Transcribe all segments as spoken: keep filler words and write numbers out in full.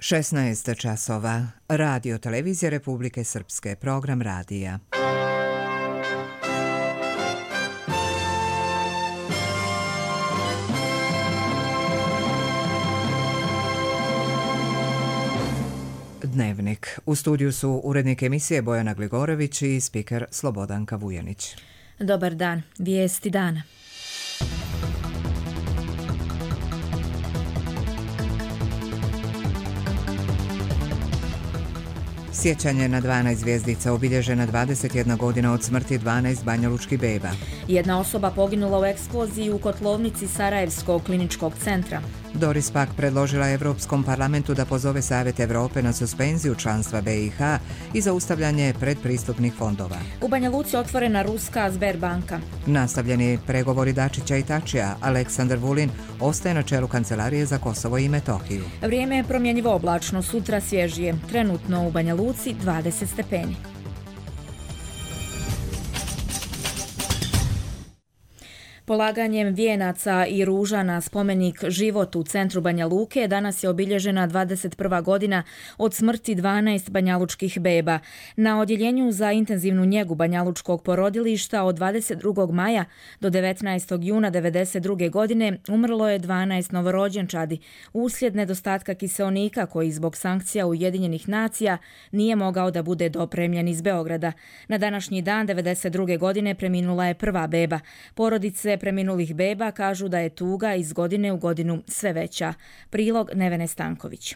šesnaest časova. Radio Televizija Republike Srpske. Program radija. Dnevnik. U studiju su urednik emisije Bojana Gligorović i spiker Slobodanka Vujanić. Dobar dan. Vijesti dana. Sjećanje na dvanaest zvjezdica, obilježena dvadeset jedna godina od smrti dvanaest banjalučkih beba. Jedna osoba poginula u eksploziji u kotlovnici Sarajevskog kliničkog centra. Doris Pack predložila Evropskom parlamentu da pozove Savjet Evrope na suspenziju članstva B i H i zaustavljanje predpristupnih fondova. U Banja Luci otvorena ruska Sberbanka. Nastavljeni pregovori Dačića i Tačija. Aleksandar Vulin ostaje na čelu Kancelarije za Kosovo i Metohiju. Vrijeme je promjenjivo oblačno, sutra svježije. Trenutno u Banja Luci dvadeset stepeni. Polaganjem vijenaca i ruža na spomenik Život u centru Banja Luke danas je obilježena dvadeset prva godina od smrti dvanaest banjalučkih beba. Na odjeljenju za intenzivnu njegu banjalučkog porodilišta od dvadeset drugog maja do devetnaestog juna devedeset druge godine umrlo je dvanaest novorođenčadi uslijed nedostatka kiseonika koji zbog sankcija Ujedinjenih nacija nije mogao da bude dopremljen iz Beograda. Na današnji dan devedeset druge godine preminula je prva beba. Porodice preminulih beba kažu da je tuga iz godine u godinu sve veća. Prilog Nevene Stanković.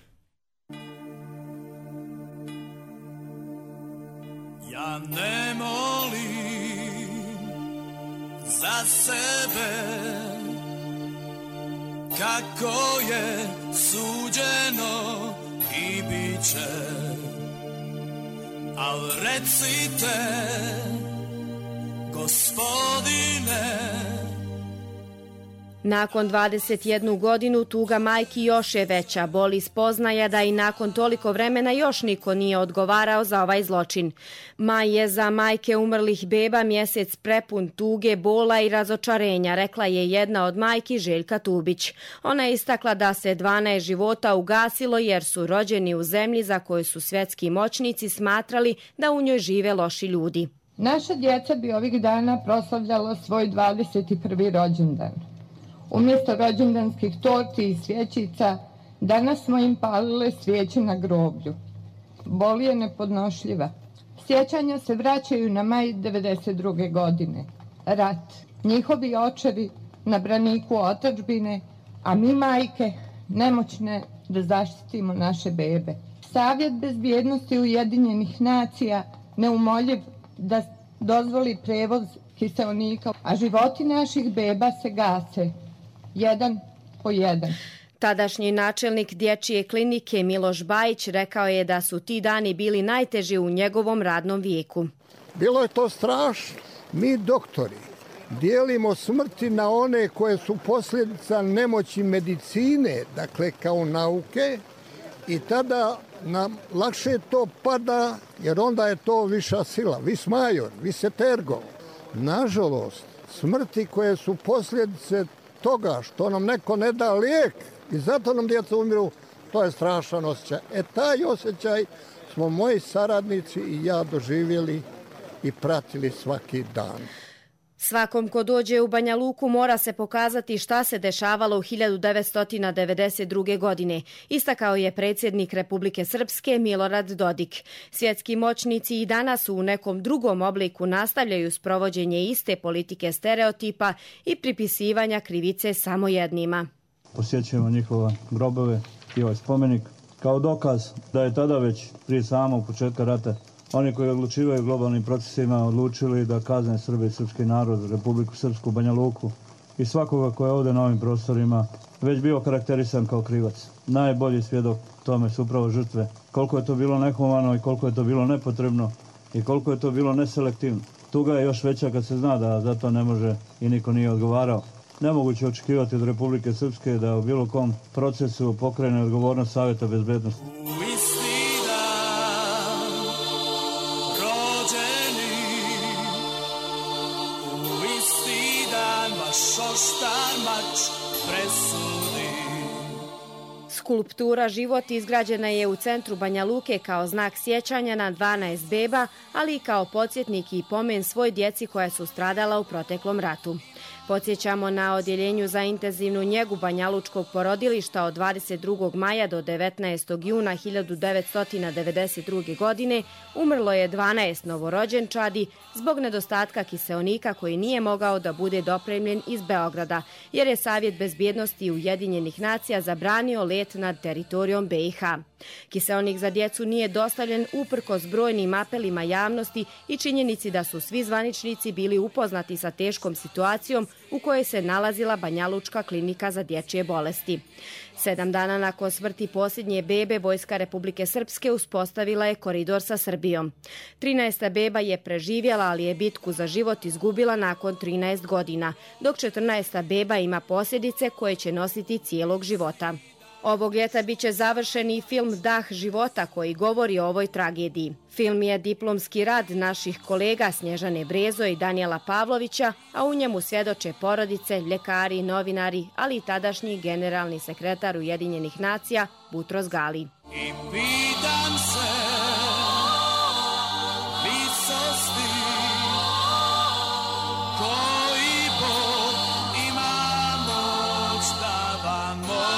Ja ne molim za sebe kako je suđeno i bit će, al recite Gospodine. Nakon dvadeset jednu godinu tuga majki još je veća. Boli spoznaja da i nakon toliko vremena još niko nije odgovarao za ovaj zločin. Maj je za majke umrlih beba mjesec prepun tuge, bola i razočarenja, rekla je jedna od majki Željka Tubić. Ona je istakla da se dvanaest života ugasilo jer su rođeni u zemlji za koju su svjetski moćnici smatrali da u njoj žive loši ljudi. Naša djeca bi ovih dana proslavljala svoj dvadeset prvi rođendan. Umjesto rođendanskih torti i svjećica, danas smo im palile svijeće na groblju. Bol je nepodnošljiva. Sjećanja se vraćaju na maj devedeset druge godine. Rat, njihovi očevi na braniku otadžbine, a mi majke nemoćne da zaštitimo naše bebe. Savjet bezbjednosti Ujedinjenih nacija neumoljiv da dozvoli prevoz kiseonika, a životi naših beba se gase, jedan po jedan. Tadašnji načelnik dječje klinike Miloš Bajić rekao je da su ti dani bili najteži u njegovom radnom vijeku. Bilo je to strašno. Mi doktori dijelimo smrti na one koje su posljedica nemoći medicine, dakle kao nauke, i tada nam lakše to pada, jer onda je to viša sila, vis major, vis etergo. Nažalost, smrti koje su posljedice toga što nam neko ne da lijek i zato nam djeca umiru, to je strašan osjećaj. E taj osjećaj smo moji saradnici i ja doživjeli i pratili svaki dan. Svakom ko dođe u Banja Luku mora se pokazati šta se dešavalo u hiljadu devetsto devedeset druge. godine, istakao je predsjednik Republike Srpske Milorad Dodik. Svjetski moćnici i danas u nekom drugom obliku nastavljaju sprovođenje iste politike stereotipa i pripisivanja krivice samo jednima. Posjećujemo njihove grobove i ovaj spomenik kao dokaz da je tada već prije samog početka rata oni koji odlučivaju globalnim procesima odlučili da kazne Srbe i srpski narod, Republiku Srpsku, Banja Luku i svakoga ko je ovdje na ovim prostorima već bio karakterisan kao krivac. Najbolji svjedok tome su upravo žrtve. Koliko je to bilo nehumano i koliko je to bilo nepotrebno i koliko je to bilo neselektivno. Tuga je još veća kad se zna da za to ne može i niko nije odgovarao. Nemoguće očekivati od Republike Srpske da u bilo kom procesu pokrene odgovornost Savjeta bezbednosti. Skulptura Život izgrađena je u centru Banja Luke kao znak sjećanja na dvanaest beba, ali i kao podsjetnik i pomen svoj djeci koja su stradala u proteklom ratu. Podsjećamo na odjeljenju za intenzivnu njegu banjalučkog porodilišta od dvadeset drugog maja do devetnaestog juna hiljadu devetsto devedeset druge. godine umrlo je dvanaest novorođenčadi zbog nedostatka kiseonika koji nije mogao da bude dopremljen iz Beograda, jer je Savjet bezbjednosti Ujedinjenih nacija zabranio let nad teritorijom B i H. Kiseonik za djecu nije dostavljen uprkos brojnim apelima javnosti i činjenici da su svi zvaničnici bili upoznati sa teškom situacijom u kojoj se nalazila Banjalučka klinika za dječje bolesti. Sedam dana nakon smrti posljednje bebe, Vojska Republike Srpske uspostavila je koridor sa Srbijom. trinaesta beba je preživjela, ali je bitku za život izgubila nakon trinaest godina, dok četrnaesta beba ima posljedice koje će nositi cijelog života. Ovog ljeta biće završen i film Dah života koji govori o ovoj tragediji. Film je diplomski rad naših kolega Snježane Brezo i Danijela Pavlovića, a u njemu svjedoče porodice, ljekari, novinari, ali i tadašnji generalni sekretar Ujedinjenih nacija Butros Gali. I pitam se visosti koji Bog ima moć da vam oprosti.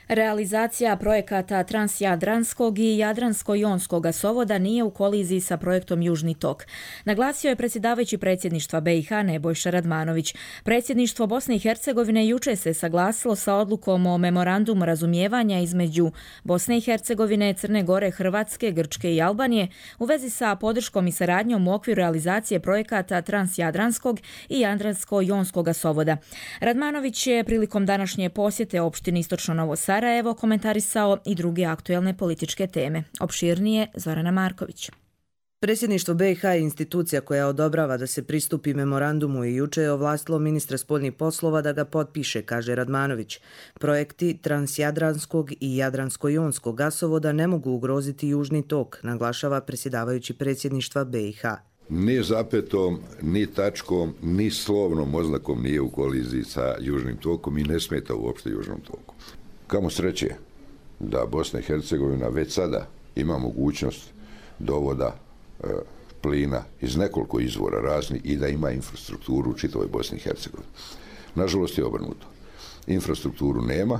Realizacija projekata Transjadranskog i Jadransko-jonskog gasovoda nije u koliziji sa projektom Južni tok. Naglasio je predsjedavajući predsjedništva B i H Nebojša Radmanović. Predsjedništvo Bosne i Hercegovine juče se saglasilo sa odlukom o memorandumu razumijevanja između Bosne i Hercegovine, Crne Gore, Hrvatske, Grčke i Albanije u vezi sa podrškom i saradnjom u okviru realizacije projekata Transjadranskog i Jadransko-jonskog gasovoda. Radmanović je prilikom današnje posjete opštini Istočno Novo Sarajevo komentarisao i druge aktuelne političke teme. Opširnije Zorana Marković. Predsjedništvo B i H je institucija koja odobrava da se pristupi memorandumu i juče je ovlastilo ministra spoljnih poslova da ga potpiše, kaže Radmanović. Projekti Transjadranskog i Jadransko-jonskog gasovoda ne mogu ugroziti Južni tok, naglašava predsjedavajući predsjedništva B i H. Ni zapetom, ni tačkom, ni slovnom oznakom nije u koliziji sa Južnim tokom i ne smeta uopšte Južnom toku. Kamo sreće da Bosna i Hercegovina već sada ima mogućnost dovoda e, plina iz nekoliko izvora raznih i da ima infrastrukturu u čitavoj Bosni i Hercegovini. Nažalost je obrnuto. Infrastrukturu nema,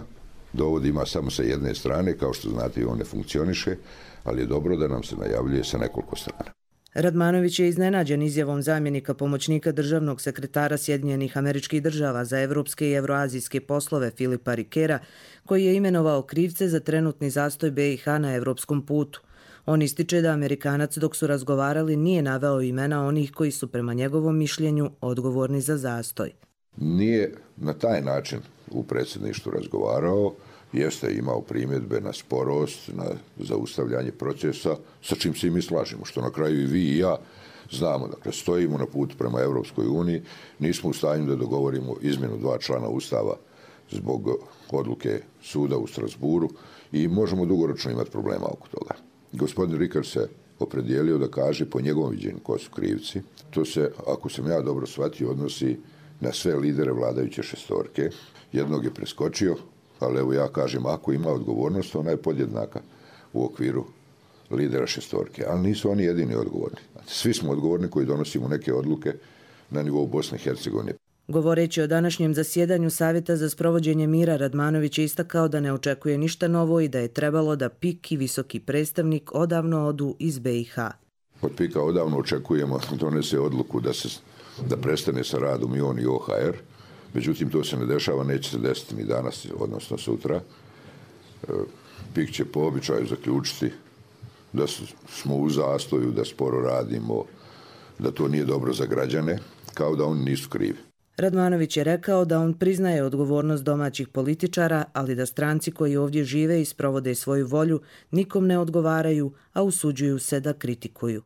dovod ima samo sa jedne strane, kao što znate i on ne funkcioniše, ali je dobro da nam se najavljuje sa nekoliko strana. Radmanović je iznenađen izjavom zamjenika pomoćnika državnog sekretara Sjedinjenih Američkih Država za evropske i evroazijske poslove Filipa Rikera, koji je imenovao krivce za trenutni zastoj B i H na evropskom putu. On ističe da Amerikanac dok su razgovarali nije naveo imena onih koji su prema njegovom mišljenju odgovorni za zastoj. Nije na taj način u predsjedništvu razgovarao, jeste imao primjedbe na sporost, na zaustavljanje procesa, sa čim se i mi slažemo, što na kraju i vi i ja znamo. Dakle, stojimo na putu prema Europskoj uniji, nismo u stanju da dogovorimo izmjenu dva člana Ustava zbog odluke suda u Strasburu i možemo dugoročno imati problema oko toga. Gospodin Rikar se opredijelio da kaže po njegovom viđenju ko su krivci. To se, ako sam ja dobro shvatio, odnosi na sve lidere vladajuće šestorke. Jednog je preskočio, ali evo ja kažem, ako ima odgovornost, ona je podjednaka u okviru lidera šestorke. Ali nisu oni jedini odgovorni. Svi smo odgovorni koji donosimo neke odluke na nivou Bosne i Hercegovine. Govoreći o današnjem zasjedanju Savjeta za sprovođenje mira, Radmanović je istakao da ne očekuje ništa novo i da je trebalo da P I K i visoki predstavnik odavno odu iz B i H. Od P I K-a odavno očekujemo da donese odluku da, se, da prestane sa radom i on i O H R. Međutim, to se ne dešava, neće se desiti ni danas, odnosno sutra. P I K će po običaju zaključiti da smo u zastoju, da sporo radimo, da to nije dobro za građane, kao da oni nisu krivi. Radmanović je rekao da on priznaje odgovornost domaćih političara, ali da stranci koji ovdje žive i sprovode svoju volju nikom ne odgovaraju, a usuđuju se da kritikuju.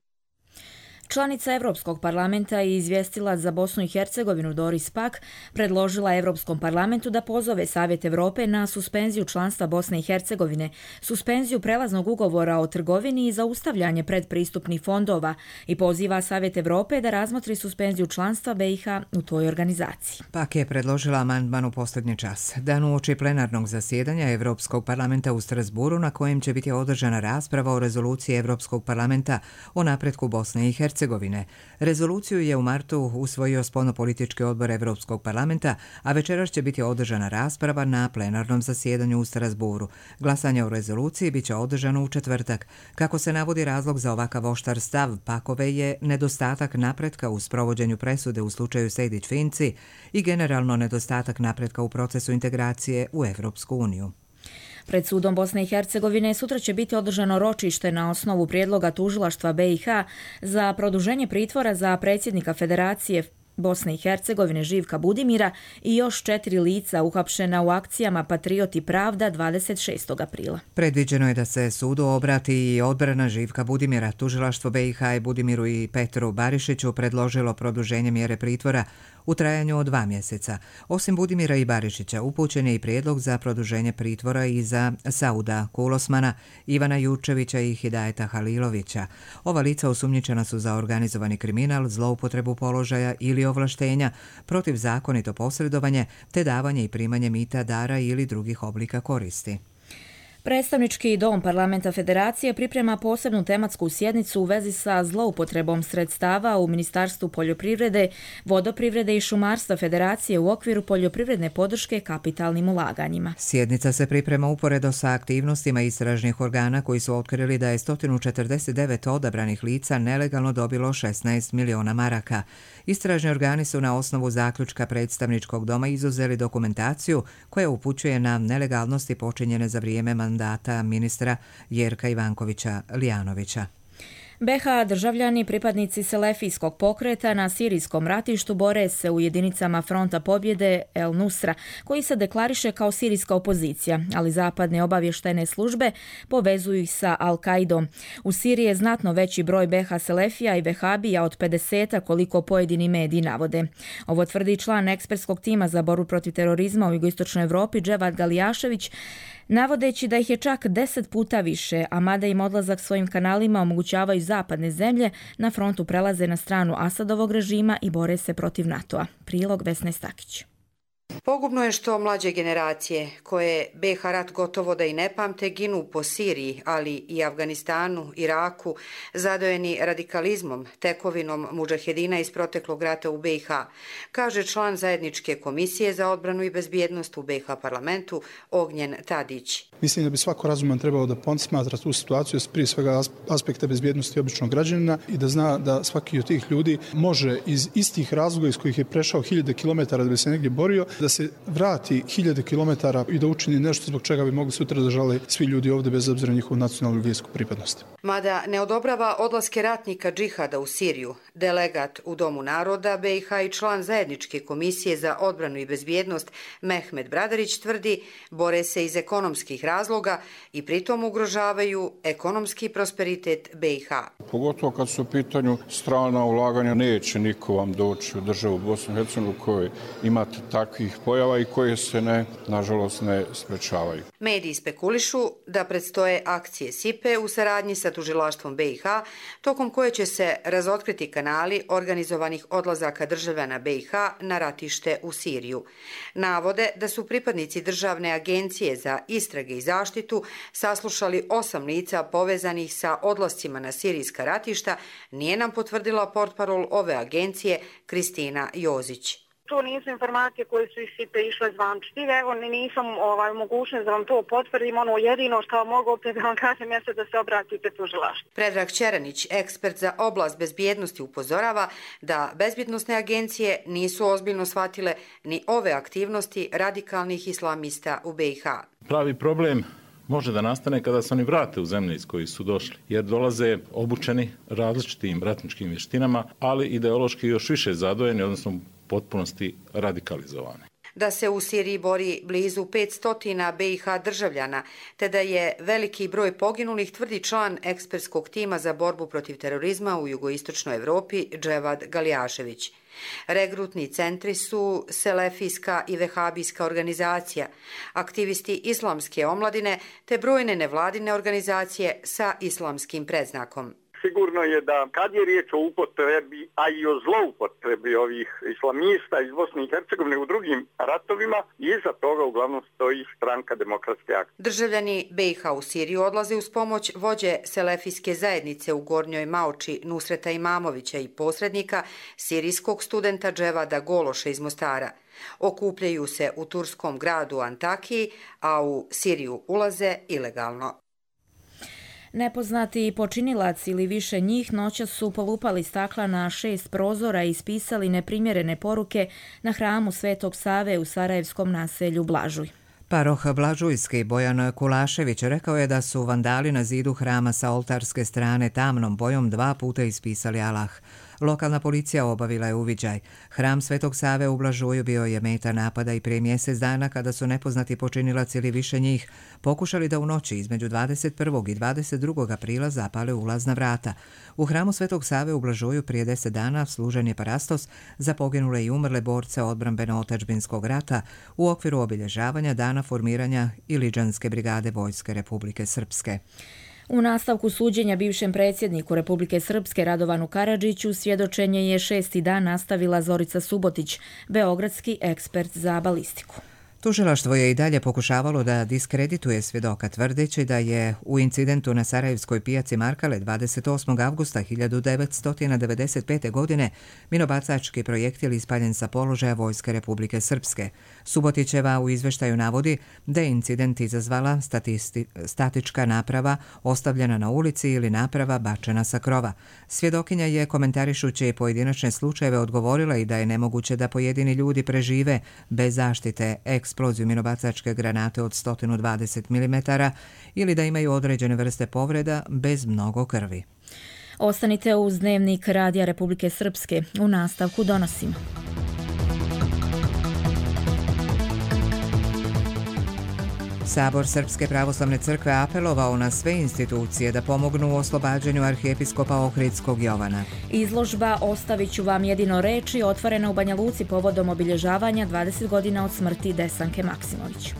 Članica Evropskog parlamenta i izvjestilac za Bosnu i Hercegovinu Doris Pack predložila Evropskom parlamentu da pozove Savjet Evrope na suspenziju članstva Bosne i Hercegovine, suspenziju prelaznog ugovora o trgovini i zaustavljanje predpristupnih fondova i poziva Savjet Evrope da razmotri suspenziju članstva B i H u toj organizaciji. Pak je predložila amandman u posljednji čas. Dan uoči plenarnog zasjedanja Evropskog parlamenta u Strasburu na kojem će biti održana rasprava o rezoluciji Evropskog parlamenta o napretku Bosne i Hercegovine. Rezoluciju je u martu usvojio spoljnopolitički odbor Evropskog parlamenta, a večeras će biti održana rasprava na plenarnom zasjedanju u Strasburu. Glasanje o rezoluciji biće održano u četvrtak. Kako se navodi, razlog za ovakav oštar stav Pakove je nedostatak napretka u sprovođenju presude u slučaju Sejdić-Finci i generalno nedostatak napretka u procesu integracije u Evropsku uniju. Pred sudom Bosne i Hercegovine sutra će biti održano ročište na osnovu prijedloga tužilaštva B i H za produženje pritvora za predsjednika Federacije Bosne i Hercegovine Živka Budimira i još četiri lica uhapšena u akcijama Patriot i Pravda dvadeset šestog aprila. Predviđeno je da se sudu obrati i odbrana Živka Budimira. Tužilaštvo B i H je Budimiru i Petru Barišiću predložilo produženje mjere pritvora u trajanju od dva mjeseca. Osim Budimira i Barišića, upućen je i prijedlog za produženje pritvora i za Sauda Kulosmana, Ivana Jurčevića i Hidajeta Halilovića. Ova lica osumnjičena su za organizovani kriminal, zloupotrebu položaja ili ovlaštenja, protivzakonito posredovanje te davanje i primanje mita, dara ili drugih oblika koristi. Predstavnički dom Parlamenta Federacije priprema posebnu tematsku sjednicu u vezi sa zloupotrebom sredstava u Ministarstvu poljoprivrede, vodoprivrede i šumarstva Federacije u okviru poljoprivredne podrške kapitalnim ulaganjima. Sjednica se priprema uporedo sa aktivnostima istražnih organa koji su otkrili da je sto četrdeset devet odabranih lica nelegalno dobilo šesnaest miliona maraka. Istražni organi su na osnovu zaključka predstavničkog doma izuzeli dokumentaciju koja upućuje na nelegalnosti počinjene za vrijeme mandata ministra Jerka Ivankovića Lijanovića. B H državljani, pripadnici Selefijskog pokreta na sirijskom ratištu bore se u jedinicama Fronta pobjede El Nusra, koji se deklariše kao sirijska opozicija, ali zapadne obavještajne službe povezuju ih sa Al-Kaidom. U Siriji je znatno veći broj B H Selefija i Vehabija od pedeseta koliko pojedini mediji navode. Ovo tvrdi član ekspertskog tima za borbu protiv terorizma u jugoistočnoj Evropi Dževad Galijašević, navodeći da ih je čak deset puta više, a mada im odlazak svojim kanalima omogućavaju zapadne zemlje, na frontu prelaze na stranu Asadovog režima i bore se protiv NATO-a. Prilog Vesne Stakić. Pogubno je što mlađe generacije, koje B H rat gotovo da i ne pamte, ginu po Siriji, ali i Afganistanu, Iraku, zadojeni radikalizmom, tekovinom mudžahedina iz proteklog rata u B i H, kaže član Zajedničke komisije za odbranu i bezbjednost u B H parlamentu Ognjen Tadić. Mislim da bi svako razuman trebao da posmatra tu situaciju s prije svega aspekta bezbjednosti običnog građanina i da zna da svaki od tih ljudi može iz istih razloga iz kojih je prešao hiljade kilometara da bi se negdje borio, da se vrati hiljade kilometara i da učini nešto zbog čega bi mogli sutra da žale svi ljudi ovdje bez obzira njihovu nacionalnu i vjersku pripadnost. Mada ne odobrava odlaske ratnika džihada u Siriju, delegat u Domu naroda B i H i član Zajedničke komisije za odbranu i bezbjednost Mehmet Bradarić tvrdi bore se iz ekonomskih razloga i pritom ugrožavaju ekonomski prosperitet B i H. Pogotovo kad su u pitanju strana ulaganja, neće niko vam doći u državu Bosnu i Hercegovinu u kojoj imate takvih pojava i koje se ne, nažalost, ne sprečavaju. Mediji spekulišu da predstoje akcije S I P E u saradnji sa tužilaštvom B i H, tokom koje će se razotkriti kanali organizovanih odlazaka državljana B i H na ratište u Siriju. Navode da su pripadnici Državne agencije za istrage i zaštitu saslušali osam lica povezanih sa odlascima na sirijska ratišta, nije nam potvrdila portparol ove agencije Kristina Jozić. To nisu informacije koje su iz S I P E išle zvančljive, evo nisam ovaj, mogućnost da vam to potvrdim, ono jedino što mogu opet da vam kažem jeste da se obratite tužilaštvu. Predrag Čeranić, ekspert za oblast bezbjednosti, upozorava da bezbjednosne agencije nisu ozbiljno shvatile ni ove aktivnosti radikalnih islamista u B i H. Pravi problem može da nastane kada se oni vrate u zemlje iz kojih su došli, jer dolaze obučeni različitim ratničkim vještinama, ali ideološki još više zadojeni, odnosno potpunosti radikalizovane. da se u Siriji bori blizu petsto B i H državljana, te da je veliki broj poginulih, tvrdi član ekspertskog tima za borbu protiv terorizma u jugoistočnoj Evropi Dževad Galjašević. Regrutni centri su selefijska i vehabijska organizacija, aktivisti islamske omladine te brojne nevladine organizacije sa islamskim predznakom. Sigurno je da kad je riječ o upotrebi, a i o zloupotrebi ovih islamista iz Bosne i Hercegovine u drugim ratovima, iza toga uglavnom stoji stranka Demokratske akcije. Državljani B i H u Siriju odlaze uz pomoć vođe selefijske zajednice u Gornjoj Maoči Nusreta Imamovića i posrednika sirijskog studenta Dževada Gološa iz Mostara. Okupljaju se u turskom gradu Antakiji, a u Siriju ulaze ilegalno. Nepoznati počinilac ili više njih noćas su polupali stakla na šest prozora i ispisali neprimjerene poruke na hramu Svetog Save u sarajevskom naselju Blažuj. Paroh Blažujski Bojan Kulašević rekao je da su vandali na zidu hrama sa oltarske strane tamnom bojom dva puta ispisali Allah. Lokalna policija obavila je uviđaj. Hram Svetog Save u Blažuju bio je meta napada i prije mjesec dana kada su nepoznati počinilac ili više njih pokušali da u noći između dvadeset prvog i dvadeset drugog aprila zapale ulazna vrata. U hramu Svetog Save u Blažuju prije deset dana služen je parastos za poginule i umrle borce odbrambeno-otadžbinskog rata u okviru obilježavanja dana formiranja Iliđanske brigade Vojske Republike Srpske. U nastavku suđenja bivšem predsjedniku Republike Srpske Radovanu Karadžiću svjedočenje je šesti dan nastavila Zorica Subotić, beogradski ekspert za balistiku. Tužilaštvo je i dalje pokušavalo da diskredituje svjedoka tvrdeći da je u incidentu na Sarajevskoj pijaci Markale dvadeset osmog avgusta hiljadu devetsto devedeset pete. godine minobacački projektil ispaljen sa položaja Vojske Republike Srpske. Subotićeva u izveštaju navodi da je incident izazvala statisti, statička naprava ostavljena na ulici ili naprava bačena sa krova. Svjedokinja je komentarišući pojedinačne slučajeve odgovorila i da je nemoguće da pojedini ljudi prežive bez zaštite eksploziju minobacačke granate od sto dvadeset milimetara ili da imaju određene vrste povreda bez mnogo krvi. Ostanite uz Dnevnik Radija Republike Srpske. U nastavku donosimo. Sabor Srpske pravoslavne crkve apelovao na sve institucije da pomognu u oslobađanju arhijepiskopa Ohridskog Jovana. Izložba Ostavit ću vam jedino reči otvorena u Banja Luci povodom obilježavanja dvadeset godina od smrti Desanke Maksimović.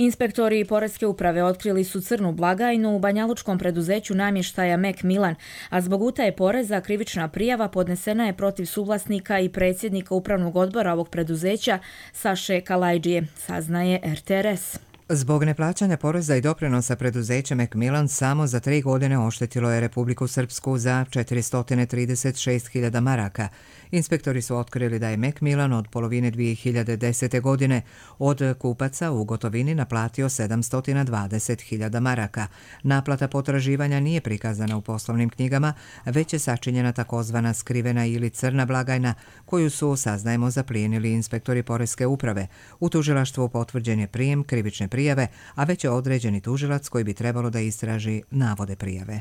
Inspektori Poreske uprave otkrili su crnu blagajnu u banjalučkom preduzeću namještaja Mek Milan, a zbog utaje poreza krivična prijava podnesena je protiv suvlasnika i predsjednika upravnog odbora ovog preduzeća Saše Kalajđije, saznaje R T R S. Zbog neplaćanja poreza i doprinosa preduzeće Mek Milan samo za tri godine oštetilo je Republiku Srpsku za četiristo trideset šest hiljada maraka. Inspektori su otkrili da je Mek Milan od polovine dvije hiljade desete. godine od kupaca u gotovini naplatio sedamsto dvadeset hiljada maraka. Naplata potraživanja nije prikazana u poslovnim knjigama, već je sačinjena takozvana skrivena ili crna blagajna, koju su, saznajemo, zaplijenili inspektori Poreske uprave. U tužilaštvu potvrđen je prijem krivične prijave, a već je određeni tužilac koji bi trebalo da istraži navode prijave.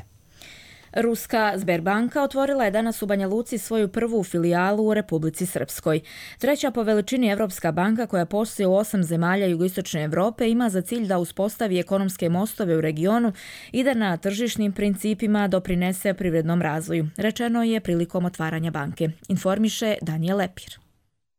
Ruska Sberbanka otvorila je danas u Banja Luci svoju prvu filijalu u Republici Srpskoj. Treća po veličini Evropska banka koja postoji u osam zemalja jugoistočne Evrope ima za cilj da uspostavi ekonomske mostove u regionu i da na tržišnim principima doprinese privrednom razvoju, rečeno je prilikom otvaranja banke, informiše Danijel Lepir.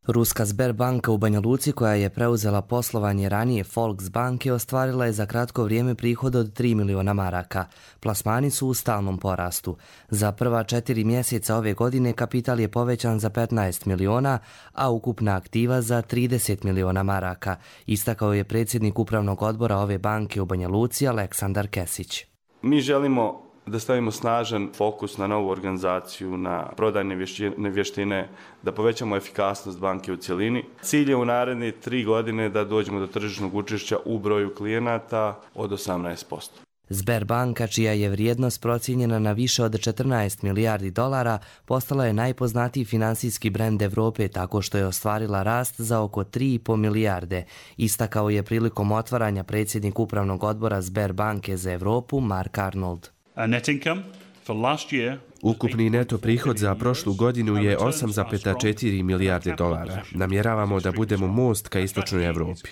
Ruska Sberbanka u Banja Luci, koja je preuzela poslovanje ranije Volksbanke, ostvarila je za kratko vrijeme prihod od tri miliona maraka. Plasmani su u stalnom porastu. Za prva četiri mjeseca ove godine kapital je povećan za petnaest miliona, a ukupna aktiva za trideset miliona maraka, istakao je predsjednik upravnog odbora ove banke u Banja Luci Aleksandar Kesić. Mi želimo da stavimo snažan fokus na novu organizaciju, na prodajne vještine, da povećamo efikasnost banke u cjelini. Cilj je u naredne tri godine da dođemo do tržišnog učešća u broju klijenata od osamnaest posto. Sberbanka, čija je vrijednost procijenjena na više od četrnaest milijardi dolara, postala je najpoznatiji finansijski brend Evrope tako što je ostvarila rast za oko tri i po milijarde, istakao je prilikom otvaranja predsjednik upravnog odbora Sberbanke za Evropu Mark Arnold. Net income Ukupni neto prihod za prošlu godinu je osam zarez četiri milijarde dolara. Namjeravamo da budemo most ka istočnoj Evropi.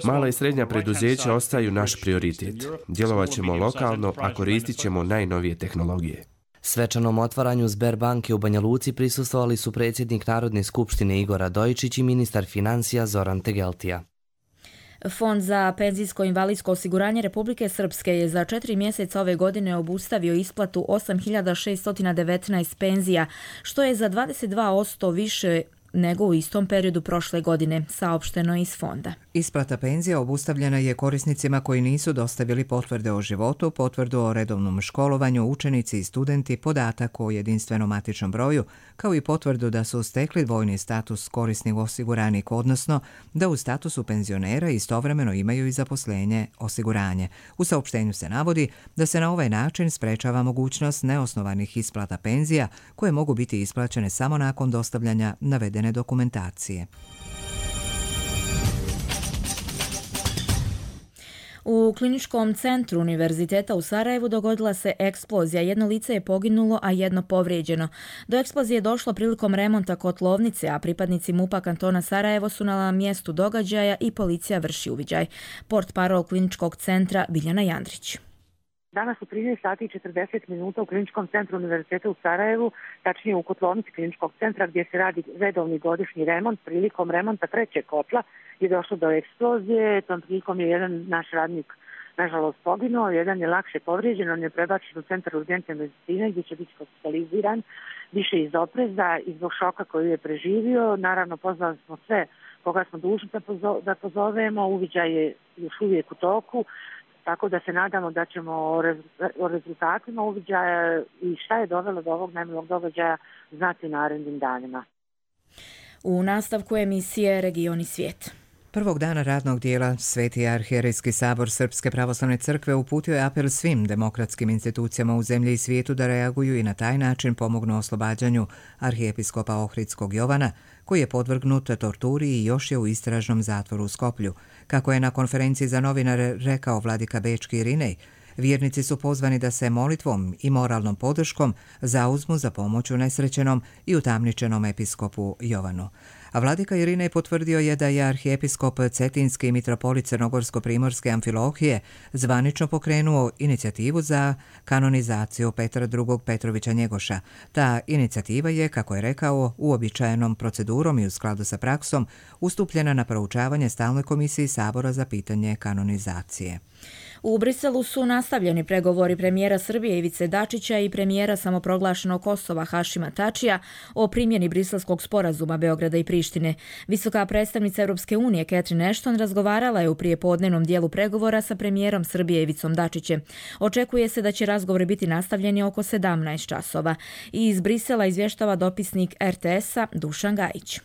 Mala i srednja preduzeća ostaju naš prioritet. Djelovat ćemo lokalno, a koristit ćemo najnovije tehnologije. Svečanom otvaranju Sberbanke u Banja Luci prisustvovali su predsjednik Narodne skupštine Igor Radojičić i ministar financija Zoran Tegeltija. Fond za penzijsko invalidsko osiguranje Republike Srpske je za četiri mjeseca ove godine obustavio isplatu osam hiljada šeststo devetnaest penzija, što je za dvadeset dva posto više nego u istom periodu prošle godine, saopšteno iz fonda. Isplata penzija obustavljena je korisnicima koji nisu dostavili potvrde o životu, potvrdu o redovnom školovanju, učenici i studenti, podatak o jedinstvenom matičnom broju, kao i potvrdu da su stekli dvojni status korisnih osiguranika, odnosno da u statusu penzionera istovremeno imaju i zaposlenje osiguranje. U saopštenju se navodi da se na ovaj način sprečava mogućnost neosnovanih isplata penzija koje mogu biti isplaćene samo nakon dostavljanja navedene dokumentacije. U kliničkom centru Univerziteta u Sarajevu dogodila se eksplozija. Jedno lice je poginulo, a jedno povrijeđeno. Do eksplozije je došlo prilikom remonta kotlovnice, a pripadnici MUP-a kantona Sarajevo su na mjestu događaja i policija vrši uviđaj. Portparol kliničkog centra Biljana Jandrić. Danas u trinaest sati i četrdeset minuta u kliničkom centru Univerziteta u Sarajevu, tačnije u kotlovnici kliničkog centra gdje se radi redovni godišnji remont, prilikom remonta trećeg kotla je došlo do eksplozije. Tom prilikom je jedan naš radnik nažalost poginuo, jedan je lakše povrijeđen, on je prebačen u centar urgentne medicine gdje će biti hospitaliziran više iz opreza i zbog šoka koju je preživio. Naravno, pozvali smo sve koga smo dužni da pozovemo, uviđaj je još uvijek u toku. Tako da se nadamo da ćemo o rezultatima uviđaja i šta je dovelo do ovog nemilog događaja znati narednim danima. U nastavku emisije Regioni svijet. Prvog dana radnog dijela Sveti arhijerejski sabor Srpske pravoslavne crkve uputio je apel svim demokratskim institucijama u zemlji i svijetu da reaguju i na taj način pomognu oslobađanju arhijepiskopa Ohridskog Jovana, koji je podvrgnut torturi i još je u istražnom zatvoru u Skoplju. Kako je na konferenciji za novinare rekao vladika Bečki Irinej, vjernici su pozvani da se molitvom i moralnom podrškom zauzmu za pomoć unesrećenom i utamničenom episkopu Jovanu. A vladika Irinej potvrdio je da je arhijepiskop Cetinski i mitropolit Crnogorsko-primorske Amfilohije zvanično pokrenuo inicijativu za kanonizaciju Petra drugog Petrovića Njegoša. Ta inicijativa je, kako je rekao, uobičajenom procedurom i u skladu sa praksom ustupljena na proučavanje Stalnoj komisiji Sabora za pitanje kanonizacije. U Briselu su nastavljeni pregovori premijera Srbije Ivice Dačića i premijera samoproglašenog Kosova Hašima Tačija o primjeni briselskog sporazuma Beograda i Prištine. Visoka predstavnica Europske unije Catherine Ashton razgovarala je u prijepodnevnom dijelu pregovora sa premijerom Srbije Ivicom Dačićem. Očekuje se da će razgovori biti nastavljeni oko sedamnaest časova. I iz Brisela izvještava dopisnik er te esa Dušan Gajić.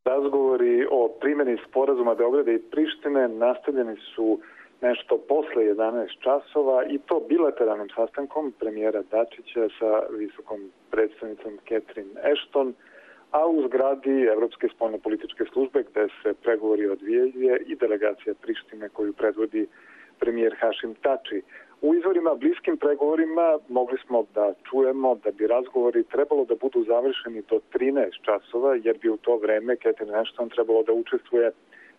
Razgovori o primjeni sporazuma Beograda i Prištine nastavljeni su nešto posle jedanaest časova i to bilateralnim sastankom premijera Dačića sa visokom predstavnicom Catherine Ashton, a u zgradi Evropske spoljnopolitičke službe gde se pregovori odvijaju i delegacija Prištine koju predvodi premijer Hašim Tači. U izvorima bliskim pregovorima mogli smo da čujemo da bi razgovori trebalo da budu završeni do trinaest časova, jer bi u to vreme Catherine Ashton trebalo da učestvuje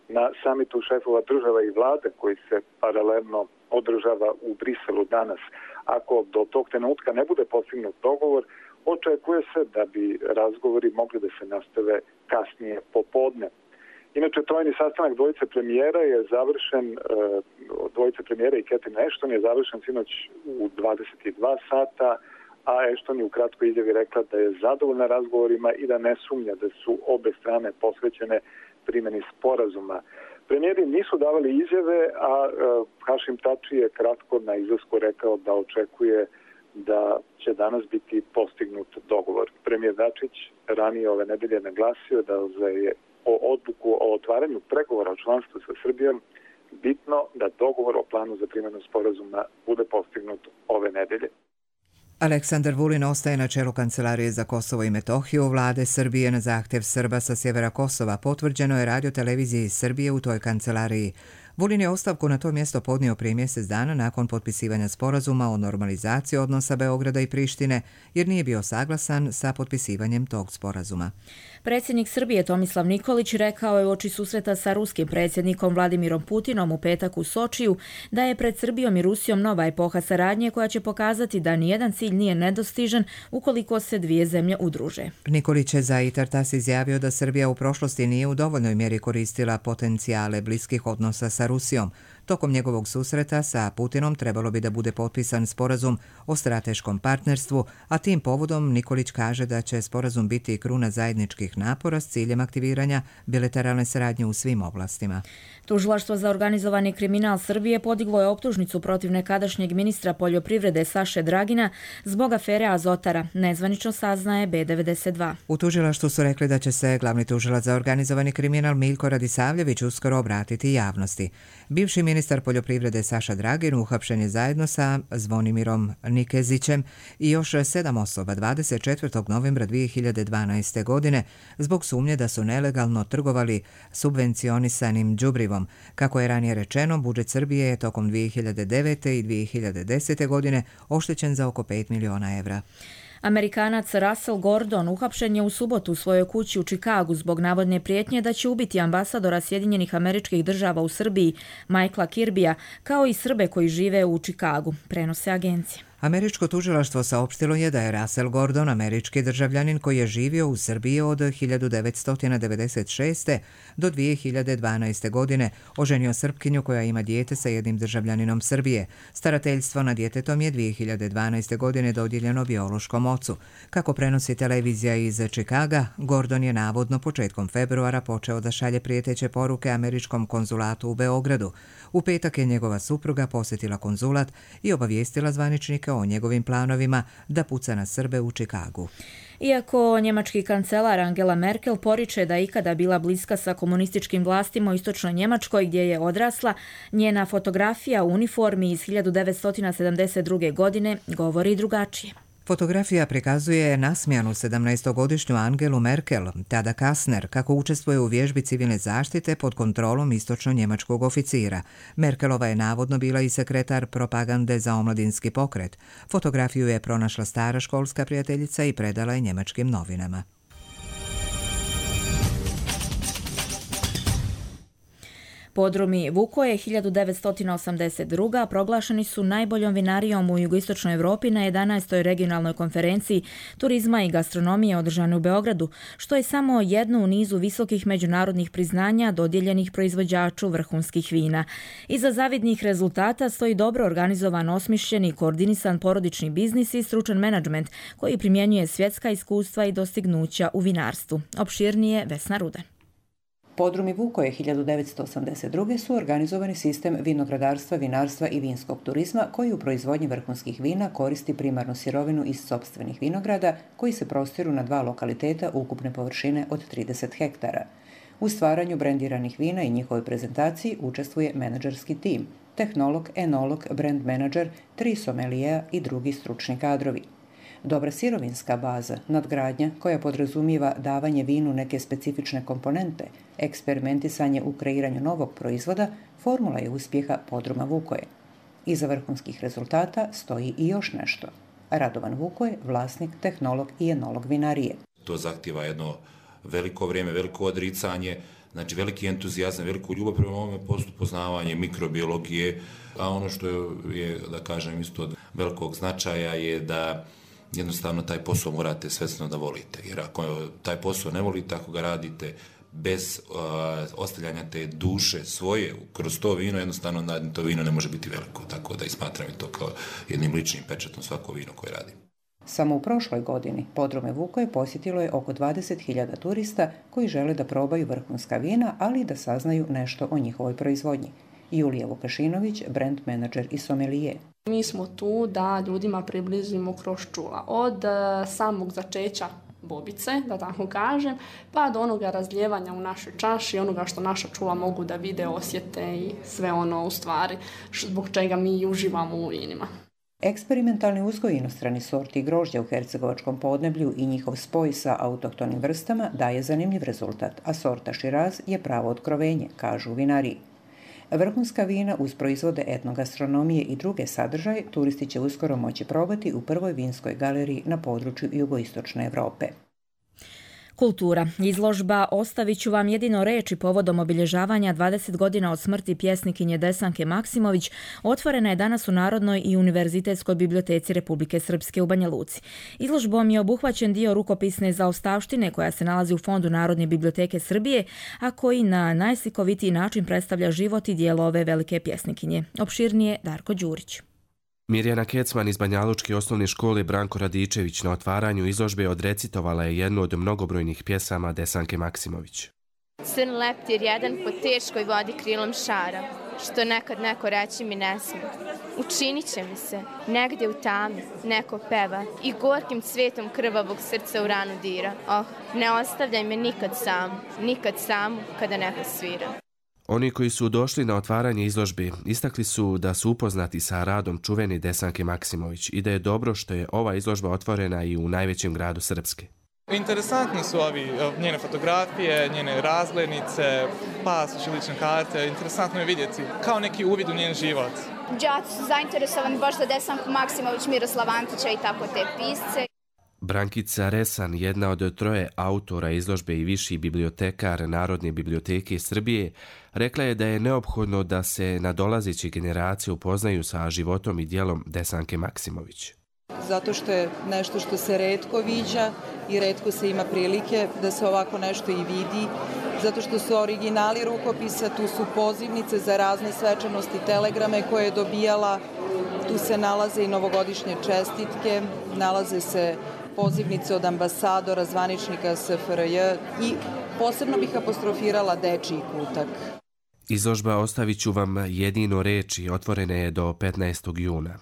na samitu šefova država i vlade koji se paralelno održava u Briselu danas. Ako do tog trenutka ne bude postignut dogovor, očekuje se da bi razgovori mogli da se nastave kasnije popodne. Inače, trojni sastanak dvojice premijera je završen, dvojice premijera i Catherine Ashton je završen sinoć u dvadeset dva sata, a Ashton je u kratkoj izjavi rekla da je zadovoljna razgovorima i da ne sumnja da su obe strane posvećene primjeni sporazuma. Premijeri nisu davali izjave, a Hašim Tači je kratko na izlasku rekao da očekuje da će danas biti postignut dogovor. Premijer Dačić ranije ove nedelje naglasio da je o odluku o otvaranju pregovora o članstvu sa Srbijom bitno da dogovor o planu za primjenu sporazuma bude postignut ove nedelje. Aleksandar Vulin ostaje na čelu Kancelarije za Kosovo i Metohiju vlade Srbije na zahtjev Srba sa sjevera Kosova. Potvrđeno je radio televiziji Srbije u toj kancelariji. Vulin je ostavku na to mjesto podnio prije mjesec dana nakon potpisivanja sporazuma o normalizaciji odnosa Beograda i Prištine, jer nije bio saglasan sa potpisivanjem tog sporazuma. Predsjednik Srbije Tomislav Nikolić rekao je uoči susreta sa ruskim predsjednikom Vladimirom Putinom u petak u Sočiju da je pred Srbijom i Rusijom nova epoha saradnje koja će pokazati da nijedan cilj nije nedostižan ukoliko se dvije zemlje udruže. Nikolić je za Itartas izjavio da Srbija u prošlosti nije u dovoljnoj mjeri koristila potencijale bliskih odnosa sa Rusijom. Tokom njegovog susreta sa Putinom trebalo bi da bude potpisan sporazum o strateškom partnerstvu, a tim povodom Nikolić kaže da će sporazum biti kruna zajedničkih napora s ciljem aktiviranja bilateralne saradnje u svim oblastima. Tužilaštvo za organizovani kriminal Srbije podiglo je optužnicu protiv nekadašnjeg ministra poljoprivrede Saše Dragina zbog afere Azotara, nezvanično saznaje B devedeset dva. U tužilaštvu su rekli da će se glavni tužilac za organizovani kriminal Miljko Radisavljević uskoro obratiti javnosti. Bivši ministar poljoprivrede Saša Dragin uhapšen je zajedno sa Zvonimirom Nikezićem i još sedam osoba dvadeset četvrtog novembra dvije hiljade dvanaeste. godine zbog sumnje da su nelegalno trgovali subvencionisanim đubrivom. Kako je ranije rečeno, budžet Srbije je tokom dvije hiljade devete. i dvije hiljade desete. godine oštećen za oko pet miliona evra. Amerikanac Russell Gordon uhapšen je u subotu u svojoj kući u Čikagu zbog navodne prijetnje da će ubiti ambasadora Sjedinjenih Američkih Država u Srbiji, Michaela Kirbija, kao i Srbe koji žive u Čikagu, prenose agencije. Američko tužilaštvo saopštilo je da je Russell Gordon američki državljanin koji je živio u Srbiji od hiljadu devetsto devedeset šeste. do dvije hiljade dvanaeste. godine, oženio Srpkinju koja ima dijete sa jednim državljaninom Srbije. Starateljstvo nad djetetom je dvije hiljade dvanaeste. godine dodijeljeno biološkom ocu. Kako prenosi televizija iz Čikaga, Gordon je navodno početkom februara počeo da šalje prijeteće poruke američkom konzulatu u Beogradu. U petak je njegova supruga posjetila konzulat i obavijestila zvaničnike o njegovim planovima da puca na Srbe u Čikagu. Iako njemački kancelar Angela Merkel poriče da je ikada bila bliska sa komunističkim vlastima u istočnoj Njemačkoj gdje je odrasla, njena fotografija u uniformi iz hiljadu devetsto sedamdeset druge. godine govori drugačije. Fotografija prikazuje nasmijanu sedamnaestogodišnju Angelu Merkel, tada Kastner, kako učestvuje u vježbi civilne zaštite pod kontrolom istočno-njemačkog oficira. Merkelova je navodno bila i sekretar propagande za omladinski pokret. Fotografiju je pronašla stara školska prijateljica i predala je njemačkim novinama. Podrumi Vukoje hiljadu devetsto osamdeset druge. proglašeni su najboljom vinarijom u jugoistočnoj Europi na jedanaestoj regionalnoj konferenciji turizma i gastronomije održane u Beogradu, što je samo jedno u nizu visokih međunarodnih priznanja dodijeljenih proizvođaču vrhunskih vina. Iza zavidnih rezultata stoji dobro organizovan, osmišljen i koordinisan porodični biznis i stručan menadžment koji primjenjuje svjetska iskustva i dostignuća u vinarstvu. Opširnije Vesna Rudan. Podrumi Vukoje hiljadu devetsto osamdeset druge. su organizovani sistem vinogradarstva, vinarstva i vinskog turizma koji u proizvodnji vrhunskih vina koristi primarnu sirovinu iz sopstvenih vinograda koji se prostiru na dva lokaliteta ukupne površine od trideset hektara. U stvaranju brendiranih vina i njihovoj prezentaciji učestvuje menadžerski tim, tehnolog, enolog, brand menadžer, tri somelijeja i drugi stručni kadrovi. Dobra sirovinska baza, nadgradnja koja podrazumijeva davanje vinu neke specifične komponente, eksperimentisanje u kreiranju novog proizvoda, formula je uspjeha Podruma Vukoje. Iza vrhunskih rezultata stoji i još nešto. Radovan Vukoje, vlasnik, tehnolog i enolog vinarije. To zahtjeva jedno veliko vrijeme, veliko odricanje, znači veliki entuzijazam, veliku ljubav prema ovome poslu, poznavanje mikrobiologije, a ono što je, da kažem, isto od velikog značaja je da jednostavno taj posao morate svesno da volite, jer ako taj posao ne volite, ako ga radite bez uh, ostavljanja te duše svoje kroz to vino, jednostavno to vino ne može biti veliko, tako da i smatram to kao jednim ličnim pečatom svako vino koje radim. Samo u prošloj godini Podrume Vukoje posjetilo je oko dvadeset hiljada turista koji žele da probaju vrhunska vina, ali i da saznaju nešto o njihovoj proizvodnji. Julija Vukašinović, brand menadžer i somelije. Mi smo tu da ljudima približimo kroz čula. Od samog začeća bobice, da tako kažem, pa do onoga razlijevanja u našoj čaši, onoga što naša čula mogu da vide, osjete i sve ono u stvari zbog čega mi uživamo u vinima. Eksperimentalni uzgoj inostrani sorti grožđa u hercegovačkom podneblju i njihov spoj sa autohtonim vrstama daje zanimljiv rezultat, a sorta Širaz je pravo otkrovenje, kažu u vinariji. Vrhunska vina uz proizvode etnogastronomije i druge sadržaje turisti će uskoro moći probati u prvoj vinskoj galeriji na području jugoistočne Evrope. Kultura. Izložba Ostavit ću vam jedino reči povodom obilježavanja dvadeset godina od smrti pjesnikinje Desanke Maksimović otvorena je danas u Narodnoj i Univerzitetskoj biblioteci Republike Srpske u Banja Luci. Izložbom je obuhvaćen dio rukopisne zaostavštine koja se nalazi u Fondu Narodne biblioteke Srbije, a koji na najslikovitiji način predstavlja život i djelo ove velike pjesnikinje. Opširnije Darko Đurić. Mirjana Kecman iz Banjalučke osnovne škole Branko Radičević na otvaranju izložbe odrecitovala je jednu od mnogobrojnih pjesama Desanke Maksimović. Crn leptir jedan po teškoj vodi krilom šara, što nekad neko reći mi ne sme. Učinit će mi se, negdje u tami, neko peva i gorkim cvetom krvavog srca u ranu dira. Oh, ne ostavljaj me nikad samu, nikad samu kada neko svira. Oni koji su došli na otvaranje izložbe istakli su da su upoznati sa radom čuvene Desanke Maksimović i da je dobro što je ova izložba otvorena i u najvećem gradu Srpske. Interesantni su ovi njene fotografije, njene razglednice, pasoši, lične karte. Interesantno je vidjeti kao neki uvid u njen život. Đaci su zainteresovani baš za Desanku Maksimović, Miroslav Antića i tako te pisce. Brankica Resan, jedna od troje autora izložbe i viši bibliotekar Narodne biblioteke Srbije, rekla je da je neophodno da se nadolazeće generacije upoznaju sa životom i djelom Desanke Maksimović. Zato što je nešto što se retko viđa i retko se ima prilike da se ovako nešto i vidi. Zato što su originali rukopisa, tu su pozivnice za razne svečanosti, telegrame koje je dobijala. Tu se nalaze i novogodišnje čestitke, nalaze se pozivnice od ambasadora, zvaničnika S F R J i posebno bih apostrofirala dečiji kutak. Izložba Ostavit ću vam jedino reči otvorena je do petnaestog juna.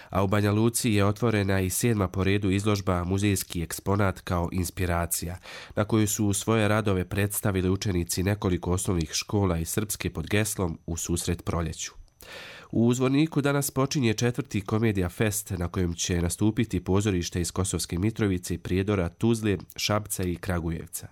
A u Banja Luci je otvorena i sedma po redu izložba Muzejski eksponat kao inspiracija, na koju su svoje radove predstavili učenici nekoliko osnovnih škola iz Srpske pod geslom U susret proljeću. U Zvorniku danas počinje četvrti Komedija Fest na kojem će nastupiti pozorište iz Kosovske Mitrovice, Prijedora, Tuzle, Šapca i Kragujevca.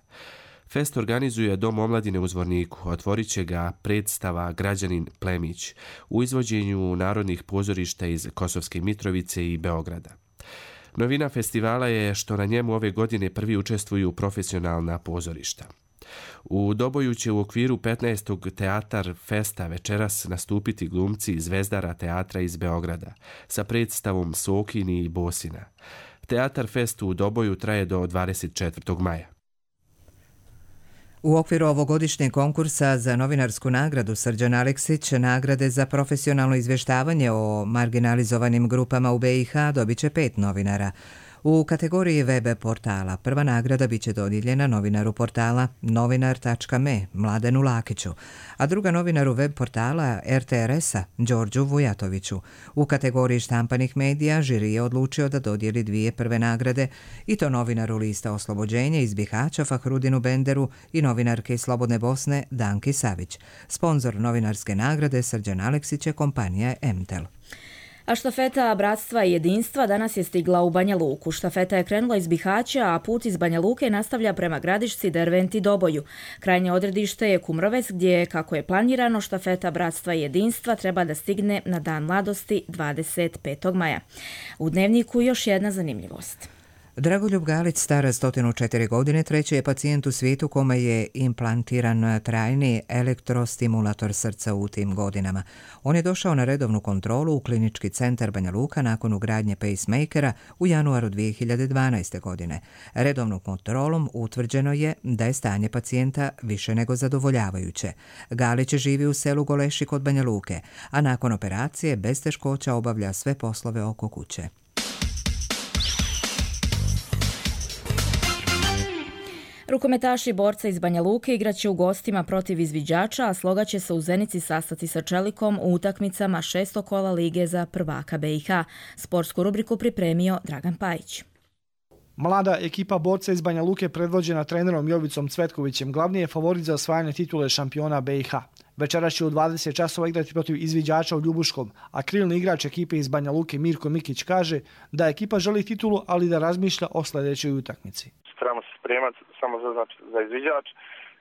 Fest organizuje Dom omladine u Zvorniku, otvorit će ga predstava Građanin Plemić u izvođenju narodnih pozorišta iz Kosovske Mitrovice i Beograda. Novina festivala je što na njemu ove godine prvi učestvuju profesionalna pozorišta. U Doboju će u okviru petnaestog Teatar Festa večeras nastupiti glumci Zvezdara teatra iz Beograda sa predstavom Sokini i Bosina. Teatar Fest u Doboju traje do dvadeset četvrtog maja. U okviru ovogodišnjeg konkursa za novinarsku nagradu Srđan Aleksić nagrade za profesionalno izvještavanje o marginalizovanim grupama u B i H dobit će pet novinara. U kategoriji web portala prva nagrada biće dodijeljena novinaru portala novinar tačka me Mladenu Lakiću, a druga novinaru web portala R T R S-a Đorđu Vujatoviću. U kategoriji štampanih medija žiri je odlučio da dodijeli dvije prve nagrade i to novinaru Lista Oslobođenja iz Bihaća Fahrudinu Benderu i novinarke iz Slobodne Bosne Danki Savić. Sponzor novinarske nagrade Srđan Aleksić je kompanija Emtel. A štafeta Bratstva i jedinstva danas je stigla u Banja Luku. Štafeta je krenula iz Bihaća, a put iz Banja Luke nastavlja prema Gradišci, Derventi i Doboju. Krajnje odredište je Kumrovec, gdje, kako je planirano, štafeta Bratstva i jedinstva treba da stigne na Dan mladosti dvadeset petog maja. U Dnevniku još jedna zanimljivost. Dragoljub Galić, star sto četiri godine, treći je pacijent u svijetu kome je implantiran trajni elektrostimulator srca u tim godinama. On je došao na redovnu kontrolu u klinički centar Banja Luka nakon ugradnje pacemakera u januaru dvije hiljade dvanaeste. godine. Redovnom kontrolom utvrđeno je da je stanje pacijenta više nego zadovoljavajuće. Galić živi u selu Goleši kod Banja Luke, a nakon operacije bez teškoća obavlja sve poslove oko kuće. Rukometaši borca iz Banja Luke igraće u gostima protiv izviđača, a Sloga će se u Zenici sastati sa Čelikom u utakmicama šestog kola Lige za prvaka B i H. Sportsku rubriku pripremio Dragan Pajić. Mlada ekipa borca iz Banja Luke predvođena trenerom Jovicom Cvetkovićem glavni je favorit za osvajanje titule šampiona B i H. Večeras će u dvadeset časova igrati protiv izviđača u Ljubuškom, a krilni igrač ekipe iz Banja Luke Mirko Mikić kaže da ekipa želi titulu, ali da razmišlja o sljedećoj utakmici. Trebamo se spremati samo za, znači, za izviđač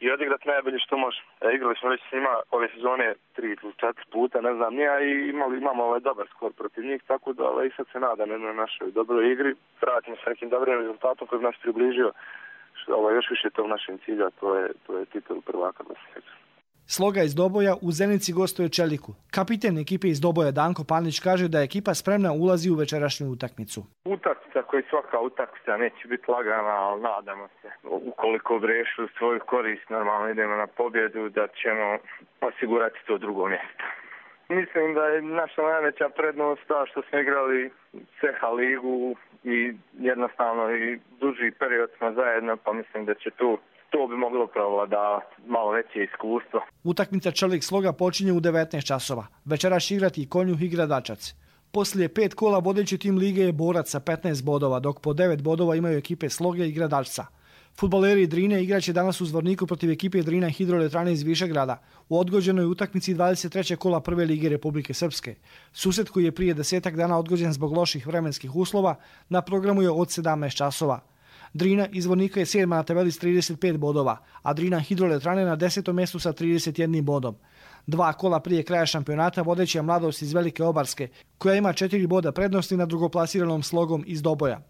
i odigrati najbolje što može. E, igrali smo već s njima ove sezone tri ili četiri puta, ne znam nija, i imali, imamo ovaj dobar skor protiv njih, tako da ovaj, i sad se nadam jednoj našoj dobroj igri. Vratimo se nekim dobrim rezultatom koji bi nas približio što, ovaj, još više tog našem cilja, to je, to je titul prvaka Bosne i Hercegovine. Sloga iz Doboja u Zenici gostuje Čeliku. Kapiten ekipe iz Doboja Danko Panić kaže da je ekipa spremna ulazi u večerašnju utakmicu. Utakmica koja svaka utakmica neće biti lagana, ali nadamo se. Ukoliko brešu svoju korist, normalno idemo na pobjedu, da ćemo osigurati to drugo mjesto. Mislim da je naša najveća prednost ta što smo igrali C H ligu i jednostavno i duži period smo zajedno, pa mislim da će tu to bi moglo prevladavati, malo veće iskustvo. Utakmica Čelik Sloga počinje u devetnaest časova. Večeras će igrati i Konjuh i Gradačac. Poslije pet kola vodeći tim lige je Borac sa petnaest bodova, dok po devet bodova imaju ekipe Sloge i Gradačca. Fudbaleri Drine igraće danas u Zvorniku protiv ekipe Drina Hidroelektrane iz Višegrada u odgođenoj utakmici dvadeset trećeg kola prve lige Republike Srpske. Susret koji je prije desetak dana odgođen zbog loših vremenskih uslova na programu je od sedamnaest časova. Drina iz Zvornika je sedma na tabeli s trideset pet bodova, a Drina Hidroelektrane na desetom mjestu sa trideset jednim bodom. Dva kola prije kraja šampionata vodeća je Mladost iz Velike Obarske, koja ima četiri boda prednosti nad drugoplasiranom Slogom iz Doboja.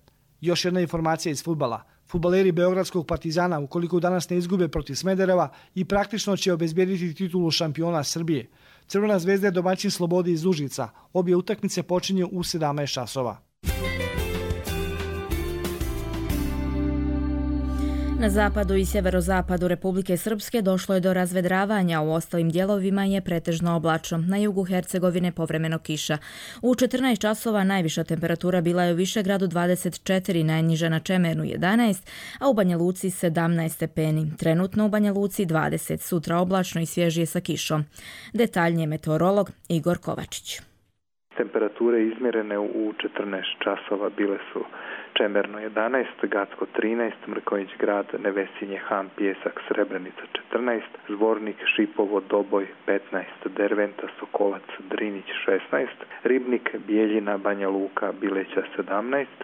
Još jedna informacija iz fudbala. Fudbaleri Beogradskog Partizana, ukoliko danas ne izgube protiv Smedereva, i praktično će obezbijediti titulu šampiona Srbije. Crvena zvezda je domaćin Slobodi iz Užica. Obje utakmice počinju u sedamnaest časova. Na zapadu i sjeverozapadu Republike Srpske došlo je do razvedravanja, u ostalim dijelovima je pretežno oblačno. Na jugu Hercegovine povremeno kiša. U četrnaest časova najviša temperatura bila je u Višegradu dvadeset četiri, najniža na Čemernu jedanaest, a u Banja Luci sedamnaest stepeni. Trenutno u Banja Luci dvadeset, sutra oblačno i svježije sa kišom. Detaljnije meteorolog Igor Kovačić. Temperature izmjerene u četrnaest časova bile su Čemerno jedanaest, Gacko trinaest, Mrkonjić Grad, Nevesinje, Han, Pijesak, Srebrenica četrnaest, Zvornik, Šipovo, Doboj petnaest, Derventa, Sokolac, Drinić šesnaest, Ribnik, Bijeljina, Banja Luka, Bileća sedamnaest,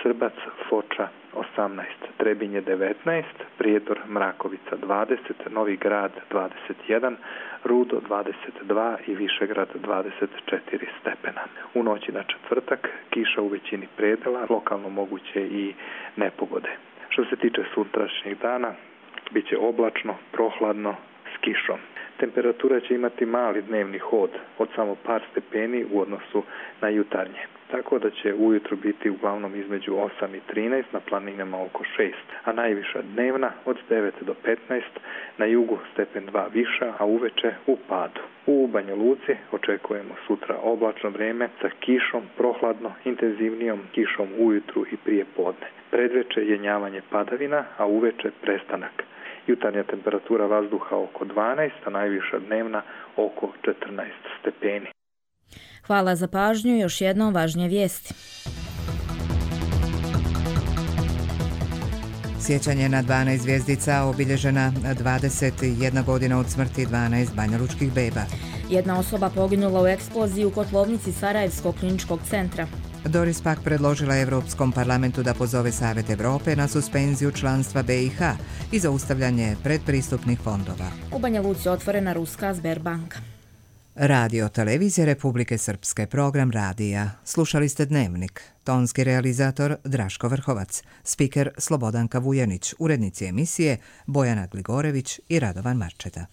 Srbac, Foča osamnaest, Trebinje devetnaest, Prijedor, Mrakovica dvadeset, Novi Grad dvadeset jedan, Rudo dvadeset dva i Višegrad dvadeset četiri stepena. U noći na četvrtak kiša u većini predela, lokalno moguće i nepogode. Što se tiče sutrašnjeg dana, bit će oblačno, prohladno, s kišom. Temperatura će imati mali dnevni hod od samo par stepeni u odnosu na jutarnje. Tako da će ujutro biti uglavnom između osam i trinaest, na planinama oko šest, a najviša dnevna od devet do petnaest, na jugu stepen dva viša, a uveče u padu. U Banja Luci očekujemo sutra oblačno vrijeme sa kišom, prohladno, intenzivnijom kišom ujutru i prije podne. Predveče jenjavanje padavina, a uveče prestanak. Jutarnja temperatura vazduha oko dvanaest, a najviša dnevna oko četrnaest stepeni. Hvala za pažnju, još jednom važnije vijesti. Sjećanje na dvanaest zvjezdica, obilježena dvadeset jedna godina od smrti dvanaest banjalučkih beba. Jedna osoba poginula u eksploziji u kotlovnici Sarajevskog kliničkog centra. Doris Pack predložila Evropskom parlamentu da pozove Savjet Evrope na suspenziju članstva B i H i zaustavljanje predpristupnih fondova. U Banja Luci otvorena ruska Sberbanka. Radio Televizije Republike Srpske, program radija. Slušali ste Dnevnik. Tonski realizator Draško Vrhovac, spiker Slobodanka Vujanić, urednici emisije Bojana Gligorević i Radovan Marčeta.